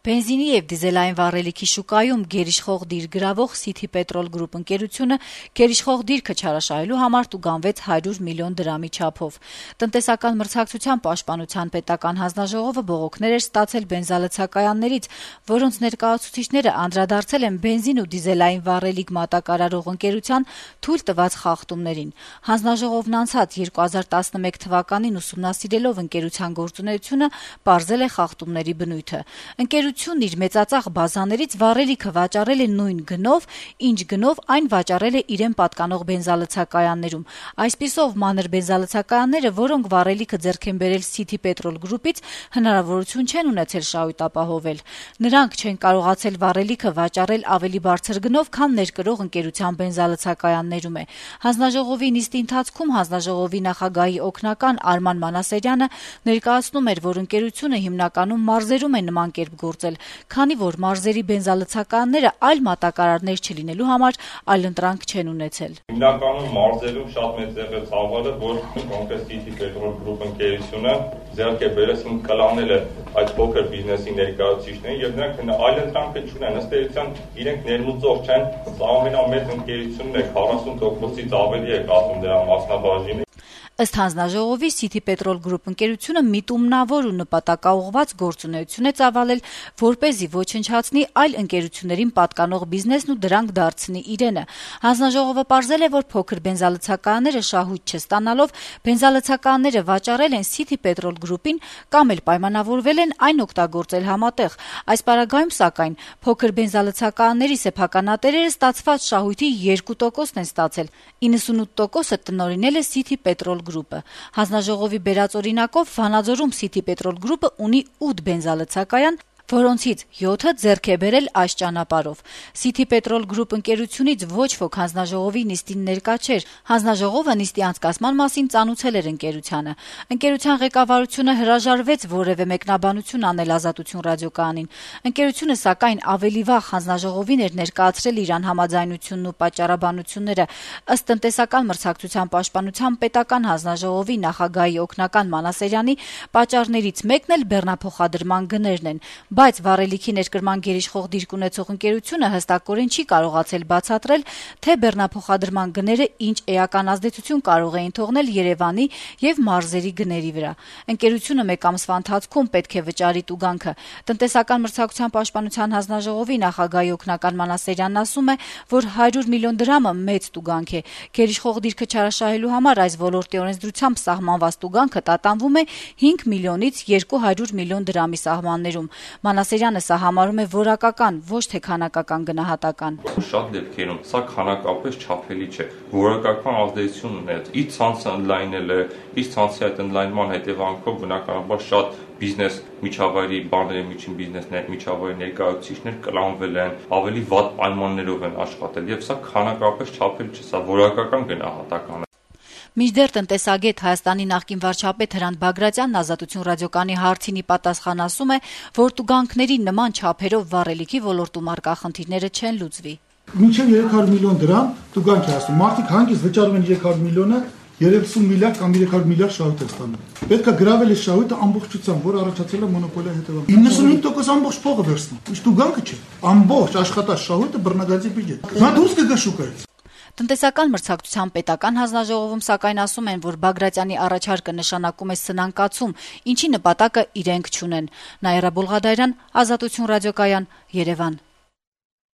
Բենզինի եւ դիզելային վառելիքի շուկայում գերիշխող դիր գրավող City Petrol Group ընկերությունը գերիշխող դիրքը չարաշահելու համար տուգանվեց 100 միլիոն դրամի չափով։ Տնտեսական մրցակցության պաշտպանության պետական հանձնաժողովը բողոքներ էր ստացել բենզալցակայաններից, որոնց ներկայացուցիչները անդրադարձել են բենզին ու դիզելային վառելիք մատակարարող ընկերության թույլ տված խախտումներին։ Հանձնաժողովն անցած 2011 թվականին ուսումնասիրելով ընկերության գործունեությունը, պարզել է խախտումների բնույթը։ Ընկերությունն իր մեծածախ բազաներից վառելիքը վաճառել է նույն գնով, ինչ գնով այն վաճառել է իրեն պատկանող բենզալցակայաններում։ Այսպիսով մանր բենզալցակայանները, որոնք վառելիքը ձեռք են բերել City Petrol Group-ից, հնարավորություն չեն ունեցել շահույթ ապահովել։ Նրանք չեն կարողացել վառելիքը վաճառել ավելի բարձր գնով, քան ներկրող ընկերության բենզալցակայաններում է։ Հանձնաժողովի նիստի ընթացքում հանձնաժողովի նախագահի օգնական Արման Մանասերյանը ներկայացնում էր, որ ընկերությունը հիմնականում մարզերում է նման կերպ գործել, քանի որ մարզերի բենզալցակայանները այլ մատակարարներ չլինելու համար այլընտրանք չեն ունեցել։ Հիմնականում մարզերում շատ մեծ եղել ցավալը, որ կոնկրետ City Petrol Group ընկերությունը ձեռք է բերել կլանել է այդ փոքր բիզնեսի ներկայացուցիչներին եւ նրանք այլընտրանքը չունեն, ըստ էության իրենք ներմուծող չեն, ամենամեծ ընկերությունն է 40%-ից ավելի է կազմում դրա մասնաբաժինը։ Ըստ հանձնաժողովի City Petrol Group ընկերությունը միտումնավոր ու նպատակաուղղված գործունեություն է ծավալել, որպեսզի ոչնչացնի այլ ընկերություններին պատկանող բիզնեսն ու դրանք դարձնի իրենը։ Հանձնաժողովը պարզել է, որ փոքր բենզալցակայանները շահույթ չստանալով բենզալցակայանները վաճառել են City Petrol Group-ին կամ էլ պայմանավորվել են այն օգտագործել համատեղ։ Այս պարագայում, սակայն, փոքր բենզալցակայանների սեփականատերերը ստացված շահույթի 2%-ն են ստացել, 98%-ը տնօրինել է City Petrol Group-ը։ Հանձնաժողովի բերած օրինակով Վանաձորում City Petrol Group-ը ունի 8 բենզալցակայան, որոնցից 7-ը ձեռք է բերել այս ճանապարհով։ City Petrol Group ընկերությունից ոչ ոք հանձնաժողովի նիստին ներկա չէր։ Հանձնաժողովը նիստի անցկացման մասին ծանուցել էր ընկերությանը։ Ընկերության ղեկավարությունը հրաժարվեց որևէ մեկնաբանություն անել Ազատություն ռադիոկայանին։ Ընկերությունը, սակայն, ավելի վաղ հանձնաժողովին էր ներկայացրել իր անհամաձայնությունն ու պատճառաբանությունները։ Ըստ տնտեսական մրցակցության պաշտպանության պետական հանձնաժողովի նախագահի օգնական Մանասերյանի պատճառներից մեկն էլ բեռնափոխադրման գներն են։ Բայց վառելիքի ներկրման գերիշխող դիրք ունեցող ընկերությունը հստակորեն չի կարողացել բացատրել, թե բեռնափոխադրման գները ինչ էական ազդեցություն կարող էին թողնել Երևանի եւ մարզերի գների վրա։ Ընկերությունը մեկ ամսվա ընթացքում պետք է վճարի տուգանքը։ Տնտեսական մրցակցության պաշտպանության հանձնաժողովի նախագահի օգնական Մանասերյանն ասում է, որ 100 միլիոն դրամը մեծ տուգանք է։ Գերիշխող դիրքը չարաշահելու համար այս ոլորտի օրենսդրությամբ սահմանված տուգանքը տատանվում է 5 միլիոնից 200 միլիոն դրամի սահմաններում։ Մանասերյանը սա համարում է որակական, ոչ թե քանակական գնահատական։ Շատ դեպքերում սա քանակապես չափելի չէ։ Որակական ազդեցություն ունեց։ Իր ցանցը ընդլայնել է, իր ցանցի այդ ընդլայնման հետևանքով բնականաբար շատ բիզնես միջավայրի բաների միջին բիզնեսներ միջավայրի ներկայացուցիչներ կլանվել են, ավելի վատ պայմաններով են աշխատել եւ սա քանակապես չափելի չէ, սա որակական գնահատական է։ Մինչդեռ տնտեսագետ Հայաստանի նախկին վարչապետ Հրանտ Բագրատյանն Ազատություն ռադիոկայանի հարցին ի պատասխան ասում է, որ տուգանքների նման չափերով վառելիքի ոլորտում առկա խնդիրները չեն լուծվի։ Մինչև 300 միլիոն դրամ տուգանք է ասում։ Մարդիկ հանգիստ վճարում են 300 միլիոնը, 30 միլիարդ կամ 300 միլիարդ շահույթ է ստանում։ Պետք է գրավել է շահույթը ամբողջությամբ, որ առաջացել է մոնոպոլիայի հետևանքով։ 95% ամբողջ փողը վերցնում։ Ինչ տուգանքը չէ։ Ամբողջ աշխատած շահույթը բռնագազի բյուջետ։ Նա դուրս կգա շուկայից։ Տնտեսական մրցակցության պետական հանձնաժողովում սակայն ասում են, որ Բագրատյանի առաջարկը նշանակում է սնանկացում, ինչի նպատակը իրենք չունեն։ Նաիրա Բոլղադարյան, Ազատություն ռադիոկայան, Երևան։